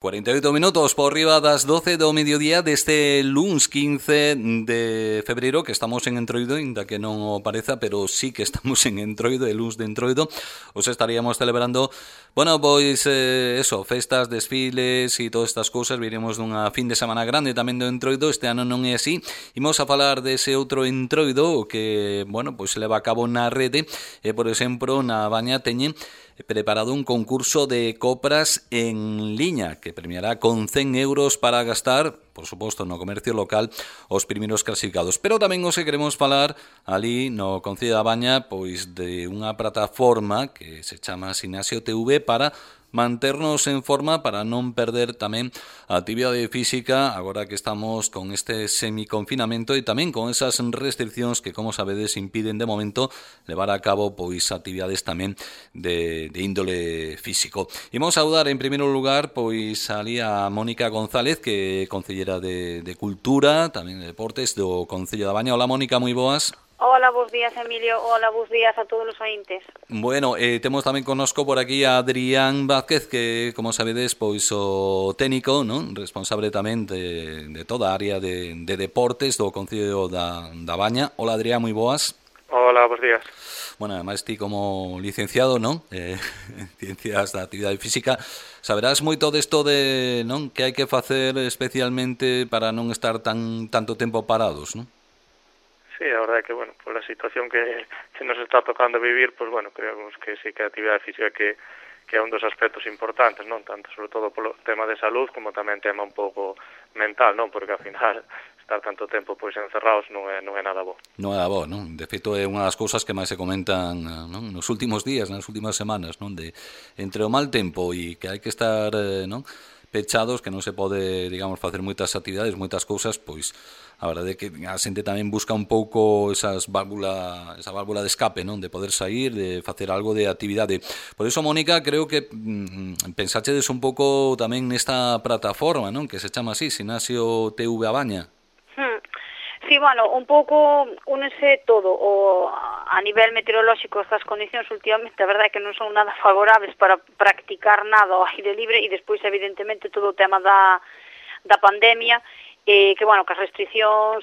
48 minutos por riba das 12 do mediodía deste luns 15 de febreiro, que estamos en Entroido, ainda que non o pareza, pero sí que estamos en Entroido, el luns de Entroido. Os estaríamos celebrando, bueno, pois festas, desfiles e todas estas cousas. Viremos dunha fin de semana grande tamén do Entroido. Este ano non é así. Imos a falar dese outro Entroido que, bueno, pois se leva a cabo na rede. Por exemplo, na Baña teñen preparado un concurso de compras en liña que premiará con 100 euros para gastar, por suposto, no comercio local os primeiros clasificados. Pero tamén os queremos falar ali no Concello da Baña pois de unha plataforma que se chama Sinasio TV para manternos en forma, para non perder tamén a actividade física agora que estamos con este semiconfinamento e tamén con esas restriccións que, como sabedes, impiden de momento levar a cabo pois actividades tamén de índole físico. Imos saudar en primeiro lugar pois ali a Mónica González, que é concellera de Cultura, tamén de Deportes do Concello da Baña. Hola, Mónica, moi boas. Hola, bons días, Emilio. Hola, bons días a todos os ointes. Bueno, temos tamén connosco por aquí a Adrián Vázquez, que, como sabedes, pois o técnico, non? Responsable tamén de toda a área de deportes do Concello da Baña. Hola, Adrián, moi boas. Hola, bons días. Bueno, ademais ti como licenciado, non? En Ciencias da Actividade Física, saberás moito desto de, non? Que hai que facer especialmente para non estar tanto tempo parados, non? Sí, a verdade é que, bueno, por a situación que nos está tocando vivir, pues bueno, creemos que sí que a actividade física que é un dos aspectos importantes, non? Tanto, sobre todo, polo tema de salud, como tamén tema un pouco mental, non? Porque, ao final, estar tanto tempo pois encerrados non é nada bo. Non é nada bo, non? De feito, é unha das cousas que máis se comentan, non? Nos últimos días, nas últimas semanas, non? De entre o mal tempo e que hai que estar, non? Pechados, que non se pode, digamos, facer moitas actividades, moitas cousas, pois a verdade é que a xente tamén busca un pouco esa válvula de escape, non? De poder sair, de facer algo de actividade. Por iso, Mónica, creo que pensáchedes un pouco tamén nesta plataforma, non? Que se chama así, Sinasio TV a Baña. Sí, bueno, un pouco únese todo a nivel meteorolóxico. Estas condicións últimamente, a verdade é que non son nada favorables para practicar nada ao aire libre, e despois, evidentemente, todo o tema da pandemia, que, bueno, que as restriccións,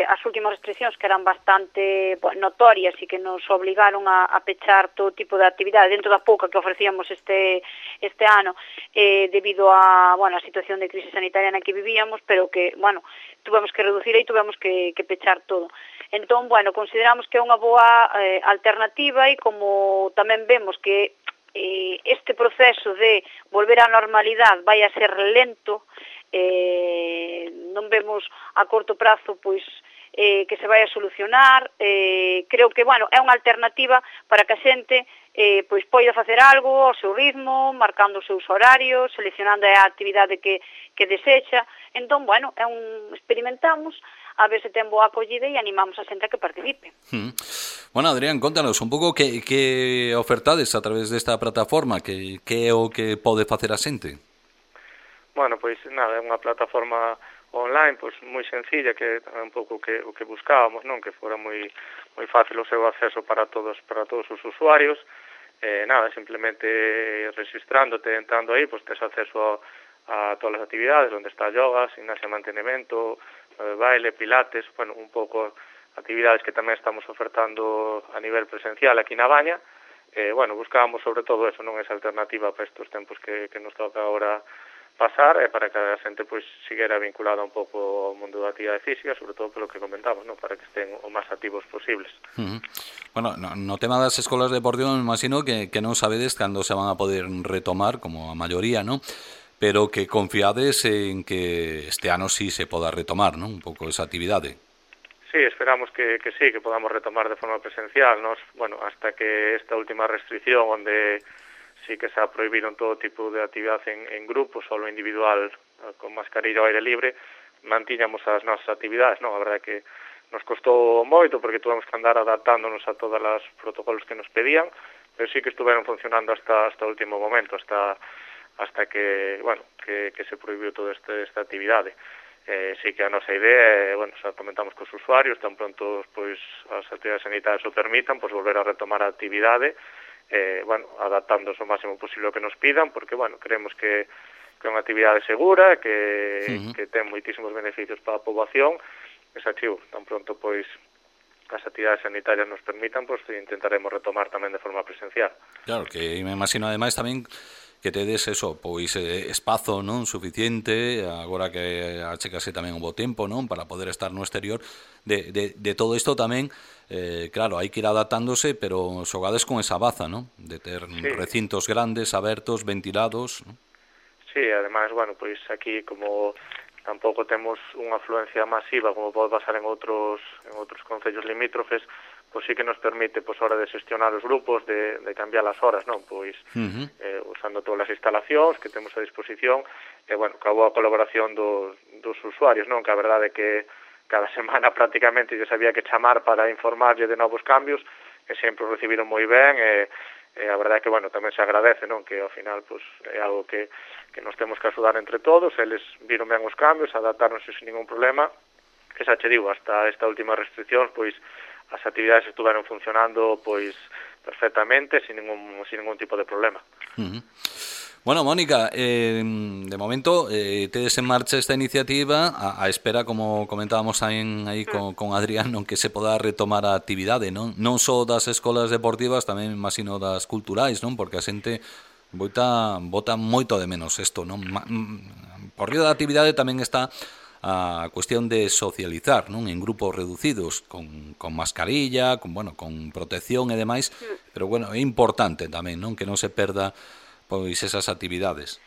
as últimas restriccións que eran bastante notorias e que nos obligaron a pechar todo tipo de actividade dentro da pouca que ofrecíamos este ano, debido a, bueno, a situación de crise sanitaria na que vivíamos, pero que, bueno, tuvemos que reducir e tuvemos que pechar todo. Entón, bueno, consideramos que é unha boa alternativa, e como tamén vemos que este proceso de volver á normalidade vai a ser lento, non vemos a corto prazo pois que se vai a solucionar. Creo que, bueno, é unha alternativa para que a xente pois poida facer algo ao seu ritmo, marcando os seus horarios, seleccionando a actividade que desexa. Entón, bueno, experimentamos a ver se ten boa acollida e animamos a xente a que participe. Bueno, Adrián, contanos un pouco que ofertades a través desta plataforma, que é o que pode facer a xente. Bueno, pois nada, é unha plataforma online pois moi sencilla, que é un pouco o que buscábamos, non? Que fora moi fácil o seu acceso para todos os usuarios. Nada, simplemente registrándote, entrando aí, pois tes acceso a todas as actividades, onde está yoga, gimnasia, mantenimento, baile, pilates, bueno, un pouco actividades que tamén estamos ofertando a nivel presencial aquí na Baña. Bueno, buscábamos sobre todo eso, non? Esa alternativa para estes tempos que nos toca agora pasar, para que a xente pois seguira vinculada un pouco ao mundo da actividade física, sobre todo polo que comentamos, non? Para que estén o máis activos posibles. Bueno, no tema das escolas deportivas, me imagino que non sabedes cando se van a poder retomar, como a maioría, non? Pero que confiades en que este ano sí se poda retomar, non? Un pouco esa actividade. Sí, esperamos que sí, que podamos retomar de forma presencial. Nos, bueno, hasta que esta última restricción, onde sí que se ha prohibido todo tipo de actividade en grupo, solo individual, con mascarilla ao aire libre, mantiñamos as nosas actividades, non? A verdade é que nos costou moito, porque tuvemos que andar adaptándonos a todos os protocolos que nos pedían, pero sí que estuveron funcionando hasta o último momento, hasta que, bueno, que se prohibiu toda esta actividade. Sí que a nosa idea, bueno, xa comentamos cos usuarios, tan pronto pois as actividades sanitarias o permitan, pois volver a retomar a actividade, bueno, adaptándose o máximo posible ao que nos pidan, porque, bueno, creemos que é unha actividade segura, que ten moitísimos beneficios para a poboación, e xa chivo, tan pronto pois as actividades sanitarias nos permitan, pois intentaremos retomar tamén de forma presencial. Claro, que me imagino ademais tamén que tedes eso, pois espazo, non, suficiente, agora que achegase tamén un bo tempo, non, para poder estar no exterior, de todo isto tamén, claro, hai que ir adaptándose, pero xogades con esa baza, non, de ter recintos grandes, abertos, ventilados, non? Sí, ademais, bueno, pois aquí como tampouco temos unha afluencia masiva como pode pasar en outros concellos limítrofes, pois sí que nos permite, pois, a hora de xestionar os grupos, de cambiar as horas, non? Pois, usando todas as instalacións que temos a disposición, e, bueno, que a boa colaboración dos usuarios, non? Que a verdade é que cada semana prácticamente lles había que chamar para informarlle de novos cambios, e sempre o recibiron moi ben, e a verdade é que, bueno, tamén se agradece, non? Que ao final, pois, é algo que nos temos que axudar entre todos, eles viron ben os cambios, adaptáronse sin ningún problema, que xa che digo, hasta esta última restricción, pois, as actividades estuveron funcionando, pois, perfectamente, sin ningún tipo de problema. Bueno, Mónica, de momento tedes en marcha esta iniciativa a espera, como comentábamos aí con Adrián, non, que se poda retomar a actividade, non só das escolas deportivas, tamén imagino das culturais, non, porque a xente bota moito de menos isto, non? Por río da actividade tamén está a cuestión de socializar, non, en grupos reducidos, con mascarilla, con protección e demais, pero bueno, é importante tamén, non, que non se perda pois esas actividades.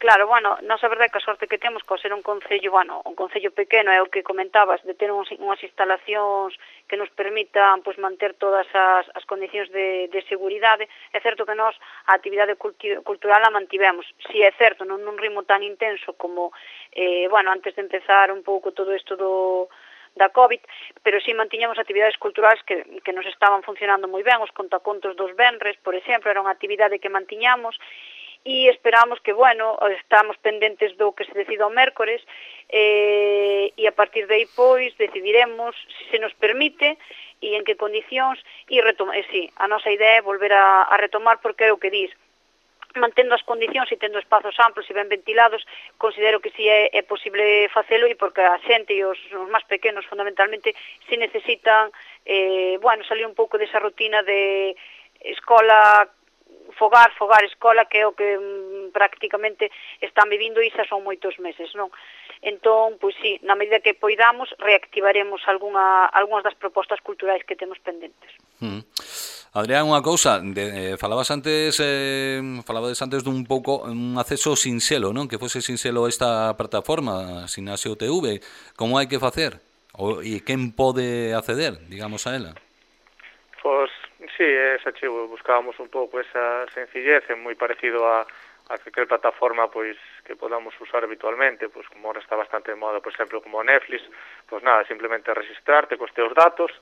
Claro, bueno, nós a verdade que a sorte que temos co ser un concello, un concello pequeno, é o que comentabas, de ter unhas instalacións que nos permitan pois manter todas as condicións de seguridade. É certo que nós a actividade cultural a mantivemos. Si é certo, non nun ritmo tan intenso como antes de empezar un pouco todo isto da COVID, pero si mantiñamos actividades culturais que nos estaban funcionando moi ben, os contacontos dos venres, por exemplo, era unha actividade que mantiñamos, e esperamos que, estamos pendentes do que se decida o mércores, e a partir de aí, pois, decidiremos se nos permite e en que condicións, e a nosa idea é volver a retomar, porque é o que dis, mantendo as condicións e tendo espazos amplos e ben ventilados, considero que si é posible facelo, e porque a xente e os máis pequenos, fundamentalmente, si necesitan, salir un pouco desa rutina de escola, fogar, escola, que é o que prácticamente están vivindo, e xa son moitos meses, non? Entón, pois sí, na medida que poidamos, reactivaremos algunhas das propostas culturais que temos pendentes. Adrián, unha cousa, falabas antes dun pouco un acceso sinxelo, non? Que fose sinxelo esta plataforma, Ximnasio TV. Como hai que facer? E quen pode acceder, digamos, a ela? Pois, sí, buscábamos un pouco esa sencillez, moi parecido a calquer plataforma pois que podamos usar habitualmente, pois como ahora está bastante de moda, por exemplo, como Netflix, pois nada, simplemente registrarte cos teus datos,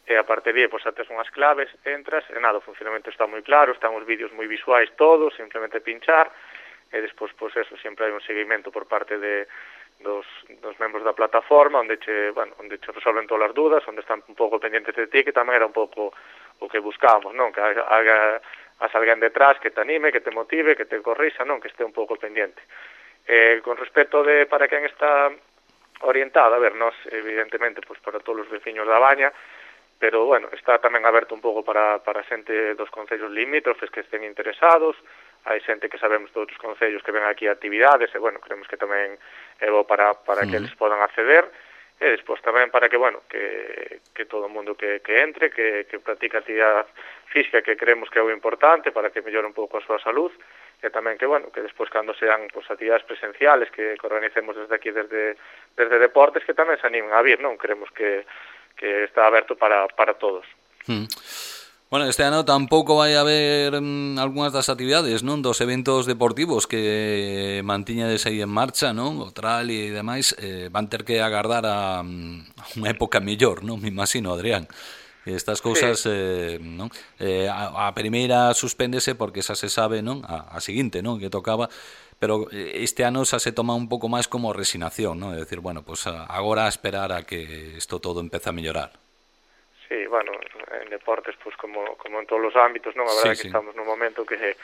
e a partir de aí, pois, tes unhas claves, entras, e nada, o funcionamento está moi claro, están os vídeos moi visuais todos, simplemente pinchar, e despois, pois eso, sempre hai un seguimento por parte dos membros da plataforma, onde che resolven todas as dudas, onde están un pouco pendientes de ti, que tamén era un pouco o que buscábamos, non? Que haga alguén detrás que te anime, que te motive, que te corrisa, non? Que este un pouco pendiente. Con respecto de para quen está orientado, a ver, nós, evidentemente, pois para todos os veciños da Baña, pero, está tamén aberto un pouco para xente dos concellos limítrofes que estén interesados, hai xente que sabemos de outros concellos que ven aquí a actividades, e, creemos que tamén é bo para que eles podan acceder, e despois tamén para que, que todo o mundo que entre, que practica actividade física, que creemos que é o importante para que mellore un pouco a súa salud, e tamén que, que despois cando sean actividades presenciales que organicemos desde aquí, desde deportes, que tamén se animen a vir, non? Creemos que está aberto para todos. Bueno, este ano tampouco vai haber algunhas das actividades, non, dos eventos deportivos que mantiñades aí en marcha, non, o trail e demais, van ter que agardar a unha época mellor, non, me imagino, Adrián. Estas cousas, sí. Non? A primeira suspéndese porque xa se sabe, non, a seguinte, non, que tocaba, pero este ano xa se toma un pouco máis como resignación, non? É dicir, pues agora a esperar a que isto todo empece a mellorar. Sí, en deportes, pues como en todos os ámbitos, non? A verdade é que estamos nun momento que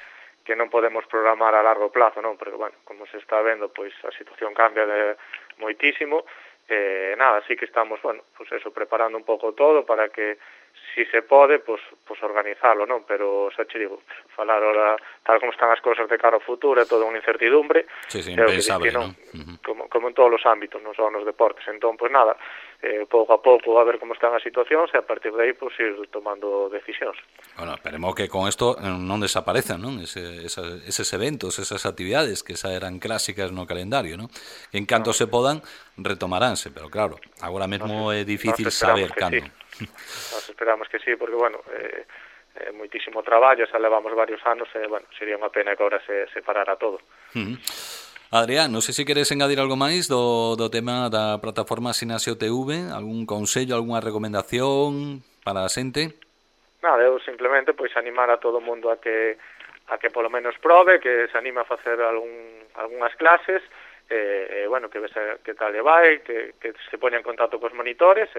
non podemos programar a largo plazo, non? Porque, bueno, como se está vendo, pois a situación cambia moitísimo. Nada, sí que estamos, bueno, pues eso, preparando un pouco todo para que, si se pode, pues organizalo, non? Pero, xa che digo, falar ahora, tal como están as cousas de cara ao futuro, é toda unha incertidumbre. Sí, impensable, non? Como en todos os ámbitos, non só nos deportes. Entón, pues nada, pouco a pouco a ver como están as situacións e a partir de aí, pues ir tomando decisións. Bueno, esperemos que con isto non desaparezan, non? Eses eventos, esas actividades que xa eran clásicas no calendario, non? Que en canto se podan, retomaránse, pero claro, agora mesmo é difícil saber cando. Sí. Nos esperamos que sí, porque, bueno, moitísimo traballo, xa levamos varios anos e, bueno, sería unha pena que agora se parara todo. Adrián, non sei se queres engadir algo máis do tema da plataforma Sinasio TV, algún consello, algunha recomendación para a xente? Nada, eu simplemente pois animar a todo o mundo a que polo menos prove, que se anima a facer algunhas clases, bueno, que vese que tal lle vai, que se poña en contacto cos monitores,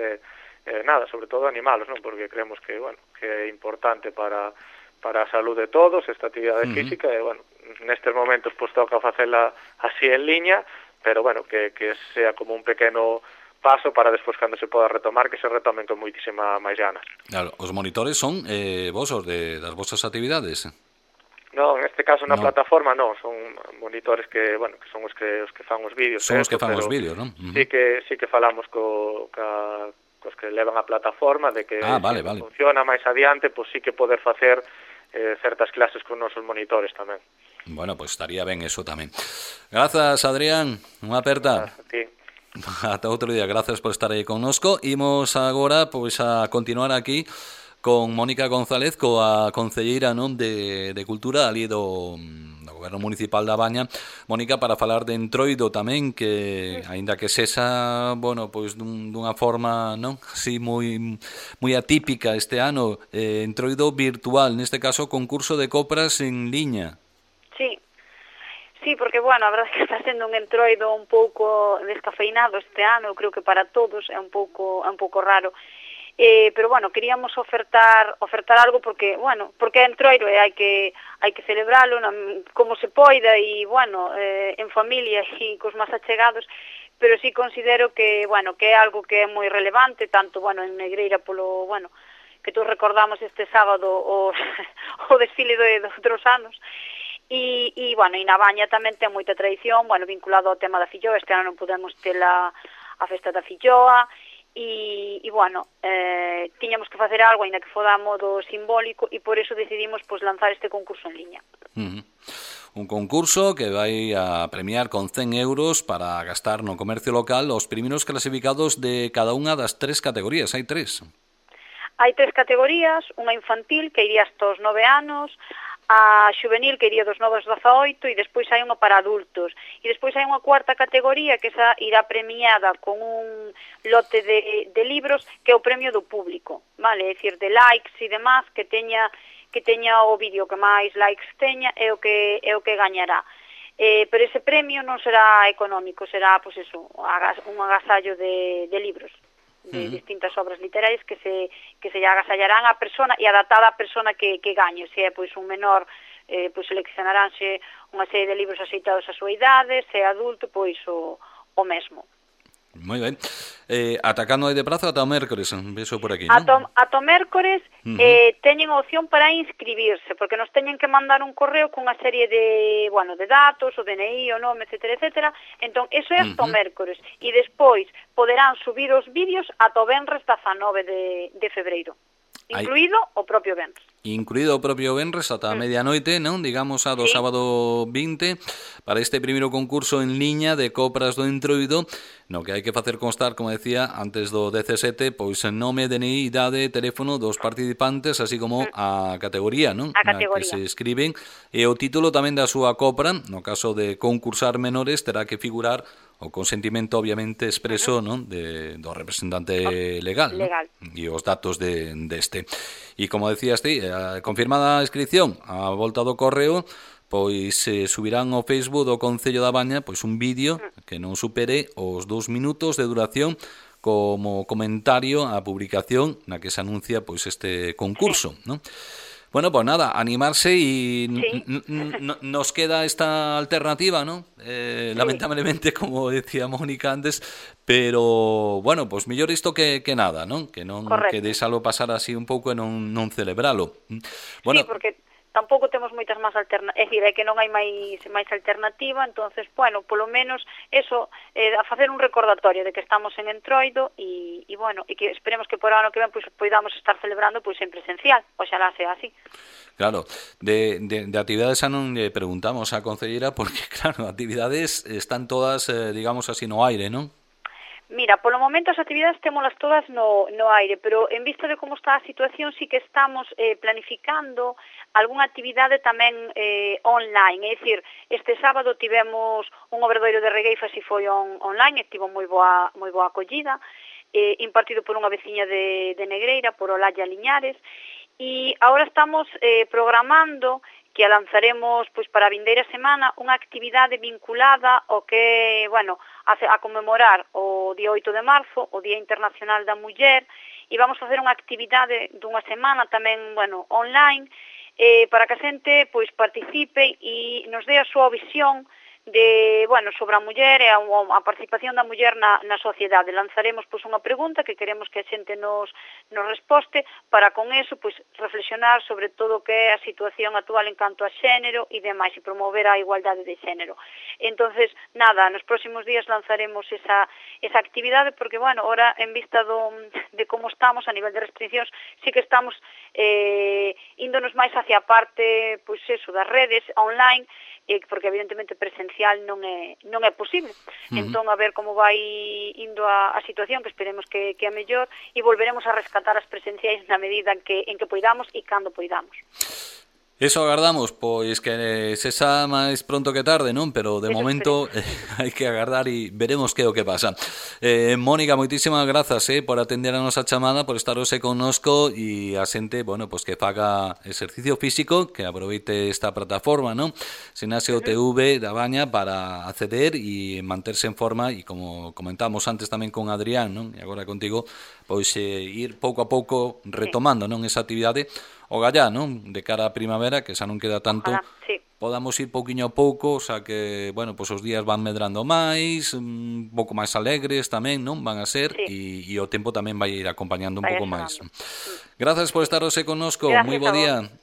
nada, sobre todo animalos, non? Porque creemos que, bueno, que é importante para a saúde de todos esta actividade física e, bueno, nestes momentos pois toca facela así en liña, pero, bueno, que sea como un pequeno paso para despois cando se poda retomar, que se retomen con moitísima máis ganas. Claro, os monitores son vos os das vosas actividades? Non, en este caso na plataforma non, son monitores que, bueno, que son os que fan os vídeos. Son os que fan os vídeos, non? Sí que falamos cos que levan a plataforma, de que vale. funciona máis adiante, pois sí que poder facer certas clases con nosos monitores tamén. Bueno, pois estaría ben eso tamén. Grazas, Adrián, unha aperta. A ti. Ata outro día, grazas por estar aí connosco. Imos agora pois a continuar aquí con Mónica González, coa concelleira, non, de Cultura ali do Goberno Municipal da Baña. Mónica, para falar de Entroido tamén, que aínda que sexa, bueno, pois dunha forma, non, así moi atípica este ano, Entroido virtual, neste caso concurso de copras en liña. Sí, porque, bueno, a verdade é que está sendo un Entroido un pouco descafeinado este ano, eu creo que para todos é un pouco raro. Pero, bueno, queríamos ofertar algo porque, bueno, porque é Entroido e hai que celebralo como se poida e, bueno, en familia e cos máis achegados, pero sí considero que, bueno, que é algo que é moi relevante, tanto, bueno, en Negreira polo, bueno, que todos recordamos este sábado o desfile de outros anos. E, bueno, e na Baña tamén ten moita tradición, bueno, vinculado ao tema da filloa. Este ano non podemos ter a festa da filloa e bueno, tiñamos que facer algo, aínda que foda a modo simbólico, e por eso decidimos pois lanzar este concurso en liña. Un concurso que vai a premiar con 100 euros para gastar no comercio local os primeiros clasificados de cada unha das 3 categorías. Hai 3. Hai 3 categorías, unha infantil que iría hasta os 9 anos, a xuvenil que iría dos 9 aos 18 e despois hai unha para adultos. E despois hai unha cuarta categoría que esa irá premiada con un lote de libros que é o premio do público, vale? É dicir, de likes e demás, que teña o vídeo que máis likes teña é o que gañará. Pero ese premio non será económico, será, pois eso, un agasallo de libros, de distintas obras literarias que se lle agasallarán á persona e adaptada á persona que gañe. Se é pois un menor, pois seleccionaránse unha serie de libros aceitados á súa idade, se é adulto, pois o mesmo. Moi ben. Atacando aí de prazo ata o mércores, vexo por aquí, non? Ata o mércores teñen a opción para inscribirse, porque nos teñen que mandar un correo cunha serie de, bueno, de datos, o DNI, o nome, etcétera. Entón, eso é ata o mércores. E despois poderán subir os vídeos ata o venres 19 de febreiro. Incluído o propio venres. Incluído o propio venres ata a medianoite, non? Digamos, a do sábado 20, para este primeiro concurso en liña de copras do Entroido, no que hai que facer constar, como decía, antes do 17, pois nome, DNI, idade, teléfono dos participantes, así como a categoría, non? A categoría. Na que se escriben, e o título tamén da súa copra. No caso de concursar menores, terá que figurar o consentimento, obviamente, expreso, non, do representante legal, non? E os datos deste. E como decías ti, confirmada a inscripción a volta do correo, pois subirán ao Facebook do Concello da Baña pois un vídeo que non supere os 2 minutos de duración como comentario á publicación na que se anuncia pois este concurso, non? Bueno, pues nada, animarse y Sí. nos queda esta alternativa, ¿no? Sí. Lamentablemente, como decía Mónica antes, pero bueno, pues mellor isto que nada, non? Que non que Correcto. deixalo pasar así un pouco e non celebralo. Sí, Bueno, porque tampouco temos moitas máis alternativas, é dicir, é que non hai máis alternativa, entonces, bueno, polo menos eso, a facer un recordatorio de que estamos en Entroido e bueno, e que esperemos que por ano que ven pois poidamos estar celebrando pois en presencial, oxalá sea así. claro, de actividades xa non lle preguntamos á concelleira porque, claro, actividades están todas, digamos así, no aire, non? Mira, polo momento as actividades témolas todas no aire, pero en vista de como está a situación sí que estamos planificando algunha actividade tamén online, é dicir, este sábado tivemos un obradoiro de regueifas e foi online, e tivo moi boa acollida, impartido por unha veciña de Negreira, por Olalla Liñares, e agora estamos programando que a lanzaremos pois para a vindeira semana unha actividade vinculada ao que, bueno, a conmemorar o día 8 de marzo, o Día Internacional da Muller, e vamos facer unha actividade dunha semana tamén, bueno, online, para que a xente pois participe e nos dé a súa visión de, bueno, sobre a muller e a participación da muller na sociedade. Lanzaremos pois unha pregunta que queremos que a xente nos resposte para con eso pois reflexionar sobre todo o que é a situación actual en canto a xénero e demais, e promover a igualdade de xénero. Entonces, nada, nos próximos días lanzaremos esa actividade porque, bueno, ora en vista de como estamos a nivel de restriccións, sí que estamos índonos máis hacia a parte, pois eso, das redes online, porque evidentemente presencial non é posible. Entón, a ver como vai indo a situación, que esperemos que a mellor, e volveremos a rescatar as presenciais na medida en que poidamos e cando poidamos. Eso agardamos, pois que se xa máis pronto que tarde, non? Pero de Eso momento hai que agardar e veremos que é o que pasa. Mónica, moitísimas grazas por atender a nosa chamada, por estar hoxe connosco e a xente, bueno, pois que faga exercicio físico, que aproveite esta plataforma, non? Sinasio TV da Baña para acceder e manterse en forma e como comentamos antes tamén con Adrián, non? E agora contigo, pois ir pouco a pouco retomando, non, esa actividade o gallá, non? De cara á primavera, que xa non queda tanto, ojalá, sí. podamos ir pouquiño a pouco, xa que, bueno, pois os días van medrando máis, un pouco máis alegres tamén, non? Van a ser, sí. e o tempo tamén vai ir acompañando un Vai pouco máis. axudando. Grazas por estar hoxe connosco, moi bo Gracias a vos. día.